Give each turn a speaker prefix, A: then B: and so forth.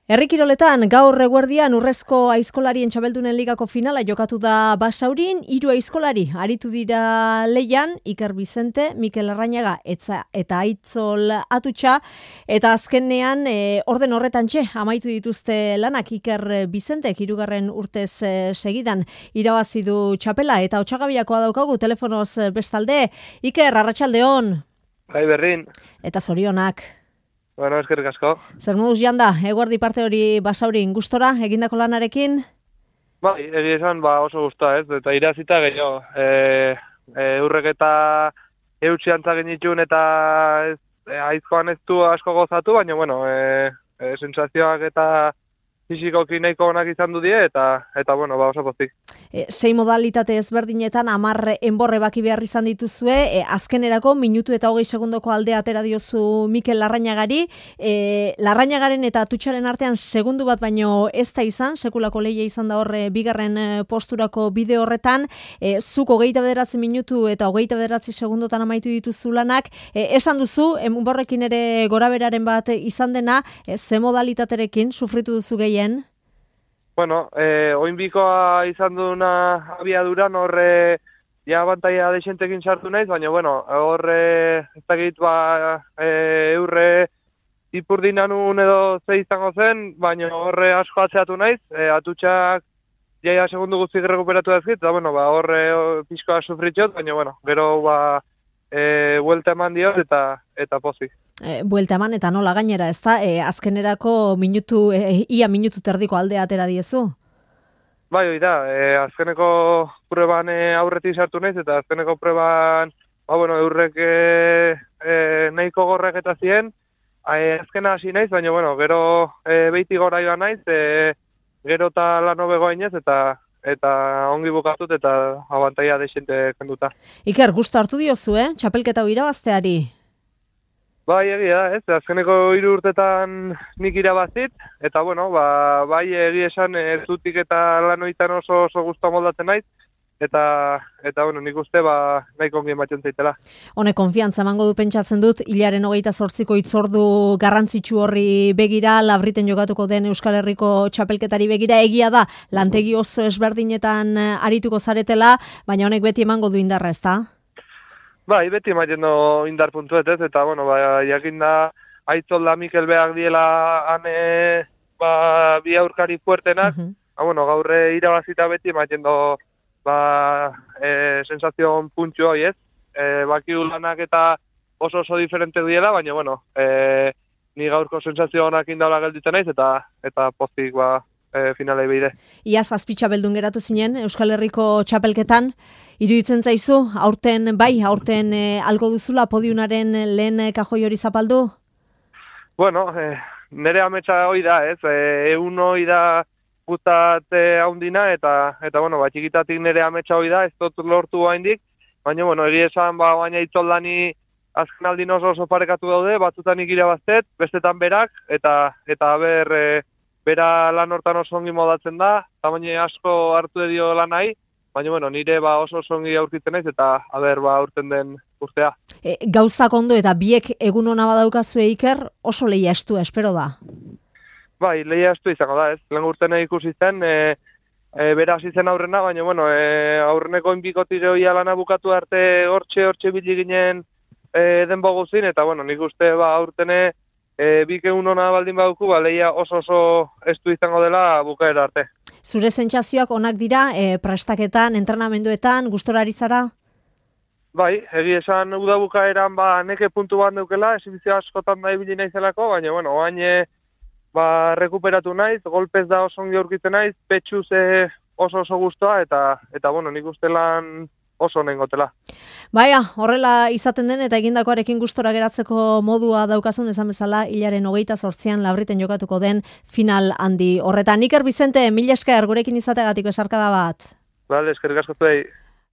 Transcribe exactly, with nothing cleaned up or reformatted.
A: Herri kiroletan gaur eguerdian urrezko aizkolarien txabeldunen ligako finala jokatu da Basaurin, hiru aizkolari aritu dira leian, Iker Bizente, Mikel Larrañaga etza, eta Aitzol Atutxa, eta azkenean e, orden horretantxe amaitu dituzte lanak. Iker Bizente hirugarren urtez e, segidan irabazi du txapela, eta Otsagabiakoa daukagu telefonoz bestalde. Iker, arratsaldeon.
B: Bai, berrin.
A: Eta zorionak.
B: Bueno, eskerrik asko.
A: Zer moduz janda, eguerdi parte hori Basaurin gustora egindako lanarekin?
B: Bai, egia esan ba oso gustoa, ez? Eta irazita gehiago. E, e, urrek eta eutxi antzagin itxun eta ez, e, aizkoan ez du asko gozatu, baina, bueno, e, e, sensazioak eta fisikoki nahiko onak izan du die, eta, eta bueno, ba oso pozik.
A: E, sei modalitate ezberdinetan hamar enborre baki behar izan dituzue, e, azkenerako minutu eta hogei segundoko aldea atera diozu Mikel Larrañagari, e, Larrañagaren eta Atutxaren artean segundu bat baino ez da izan, sekulako lehia izan da horre bigarren posturako bide horretan, e, zuk hogeita bederatzi minutu eta hogeita bederatzi segundotan amaitu dituzu lanak, e, esan duzu, enborrekin ere goraberaren bat izan dena, e, ze modalitaterekin sufritu duzu gehien?
B: Bueno, eh, oinbikoa izan duna abiaduran horre ja abantaia desentekin sartu naiz, baina bueno, horre ez dakit ba e, eurre ipurdinanun edo ze izango zen, baina horre asko atzeatu naiz, e, Atutxak jaia segundu guztik rekuperatu dazkit, eta bueno, ba horre pixkoa sufritxot, baina bueno, gero ba e, buelta eman diot eta eta pozik.
A: E, buelta eman eta nola gainera, ezta? E, azkenerako minutu, e, ia minutu terdiko aldea atera diezu?
B: Bai, hori da, e, azkeneko prueban e, aurretik sartu naiz, eta azkeneko prueban, ba, bueno, eurrek e, e, nahiko gorrek eta zien, e, azkena hasi naiz, baina, bueno, gero e, beiti gora joan naiz, e, gero eta lan hobego ainez, eta eta ongi bukatut eta abantaia desente kenduta.
A: Iker, gustu hartu diozu, eh? Txapelketa hau irabazteari?
B: Bai, egia da, ez, azkeneko hiru urtetan nik irabazit, eta bueno, ba, bai egia esan ez dutik eta lanoitan oso oso gustu moldatzen naiz, eta, eta bueno, nik uste ba, nahiko ongi ematen zaitela.
A: Hone, konfiantza emango du pentsatzen dut, hilaren hogeita zortziko hitzordu garrantzitsu horri begira, Labriten jokatuko den Euskal Herriko txapelketari begira, egia da, lantegi oso esberdinetan arituko zaretela, baina honek beti emango du indarra, ezta?
B: Bai, beti ematen du indar puntuet, ez, eta, bueno, ba, jakin da, Aitzol da Mikel behar diela ane, ba, bi aurkari fuertenak, uh -huh. ba, bueno, gaurre irabazita beti ematen du, ba, e, sensazion puntxu hoi, ez, e, bakiu lanak eta oso oso diferente diela, baina, bueno, e, ni gaurko sensazio honak indaula gelditzen naiz, eta, eta pozik, ba, e, finalei behire.
A: Iaz azpitxa beldun geratu zinen, Euskal Herriko txapelketan, iruditzen zaizu, aurten, bai, aurten e, algo duzula podiunaren lehen kajoi hori zapaldu?
B: Bueno, e, nire ametsa hoi da, ez, e, egun hoi da guztat e, haundina, eta, eta bueno, ba, txikitatik nire ametsa hoi da, ez dut lortu haindik, baina, bueno, egia esan, ba, baina itzoldani azken aldin oso oso parekatu daude, batzutan irabaztet, bestetan berak, eta, eta ber, e, bera lan hortan oso ongi modatzen da, tamaina asko hartu edio lan nahi, baina, bueno, nire ba oso ongi aurkitzen naiz eta aber ba aurten den urtea. E,
A: gauzak ondo eta biek egun ona badaukazu Iker, oso lehia estua, espero da.
B: Bai, lehia estua izango da, ez. Lehen urten ikusi zen, e, e, bera hasi zen aurrena, baina, bueno, e, aurreneko inbikotik gehoia lana bukatu arte hortxe, hortxe bili ginen e, denbo guzin, eta, bueno, nik uste ba aurtene e, bik egun ona baldin baduku, ba, lehia oso oso estu izango dela bukaera arte.
A: Zure sentsazioak onak dira, e, prestaketan, entrenamenduetan, gustora ari zara?
B: Bai, egi esan udabukaeran ba neke puntu bat neukela, esibizio askotan da ibili naizelako, baina, bueno, oain ba, rekuperatu naiz, golpez da oso ongi aurkitzen naiz, petxuz e, oso oso gustoa, eta, eta bueno, nik uste lan oso nengotela.
A: Baia, horrela izaten den eta egindakoarekin gustora geratzeko modua daukazun esan bezala, hilaren hogeita zortzian Labriten jokatuko den final handi horretan. Iker Bizente, mila esker gurekin izateagatik besarkada bat.
B: Bale, eskerrik asko zuei.